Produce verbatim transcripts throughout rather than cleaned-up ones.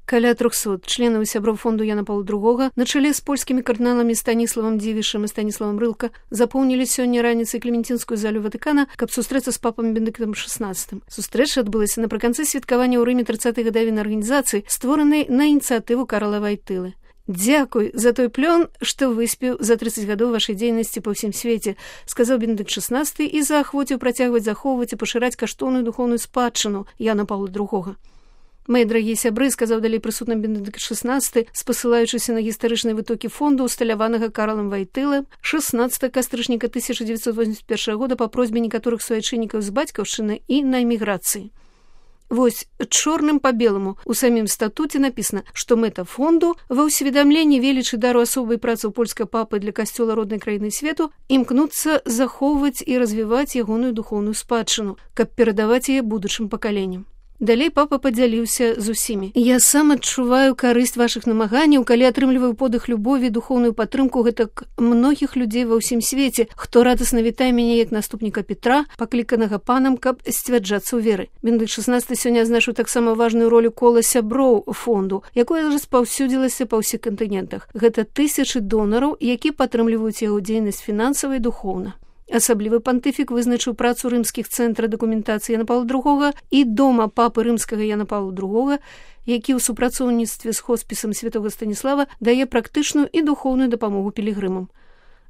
Каля трохсот членаў і сяброў фонду Яна Паўла другога на чале з польскімі кардыналамі Станіславам Дзівішам і Станіславам Рылка запоўнілі сёння раніцай Клементинскую залю Ватыкана, каб сустрэцца з папам Бенедыктам шаснаццатым. Сустрэча адбылася напрыканцы святкавання ў Рыме трыццатай гадавіны арганізацыі, створанай на ініцыятыву Карла Вайтылы. «Дзякуй за той плён, што выспеў за трыццаць гадоў вашай дзейнасці па ўсім свеце», сказаў Бенедыкт шаснаццаты і заахвоціў працягваць захоўваць і пашыраць каштоўную духоўную спадчыну Яна Паўла другога. «Мае дарагія сябры», сказаў далей прысутны Бенедыкт шаснаццаты, спасылаючыся на гістарычныя вытокі фонду, усталяванага Карлам Вайтылы, шаснаццатага кастрычніка тысяча дзевяцьсот восемьдесят першага года па просьбе некаторых суайчыннікаў з бацькаўшчыны і на эміграцыі. Вось чорным па беламу у самім статуце напісана, што мэта фонду ва ўсведамленні велічы дару асобай працы ў польскай папы для касцёла роднай краіны свету імкнуцца захоўваць і развіваць ягоную духоўную спадчыну, каб перадаваць яе будучым пакаленням. Далей папа падзяліўся з усімі. «Я сам адчуваю карысць вашых намаганняў, калі атрымліваю подых любові, духоўную падтрымку гэтак многіх людзей ва ўсім свеце, хто радасна вітае мяне як наступніка Петра, пакліканага панам, каб сцвярджацца ў веры». Бенедыкт шаснаццаты сёння азначыў таксама важную ролю кола сяброў фонду, якое распаўсюдзілася па ўсіх кантынентах. Гэта тысячы донараў, які падтрымліваюць яго дзейнасць фінансава і духоўна. Асаблівы пантыфік вызначыў працу рымскіх цэнтра дакументацыі Яна Паўла другога і дома папы рымскага Яна Паўла другога, які ў супрацоўніцтве з хоспісам святога Станіслава дае практычную і духоўную дапамогу пілігрымам.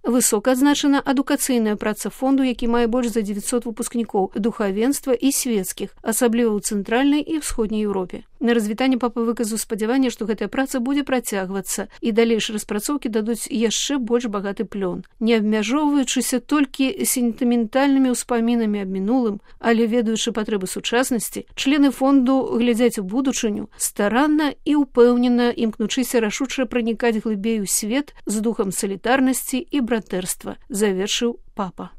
Высока адзначана адукацыйная праца фонду, які мае больш за дзевяцьсот выпускнікоў духавенства і свецкіх, асабліва ў цэнтральнай і ўсходняй Еўропе. На развітанне папа выказаў спадзяванне, што гэтая праца будзе працягвацца і далейшыя распрацоўкі дадуць яшчэ больш багаты плён. Не абмяжоўваючыся толькі сентыментальнымі ўспамінамі аб мінулым, але ведаючы патрэбы сучаснасці, члены фонду глядзяць у будучыню, старанна і ўпэўнена імкнучыся рашуча пранікаць глыбей у свет з духам салідарнасці і братэрства, завершыў папа.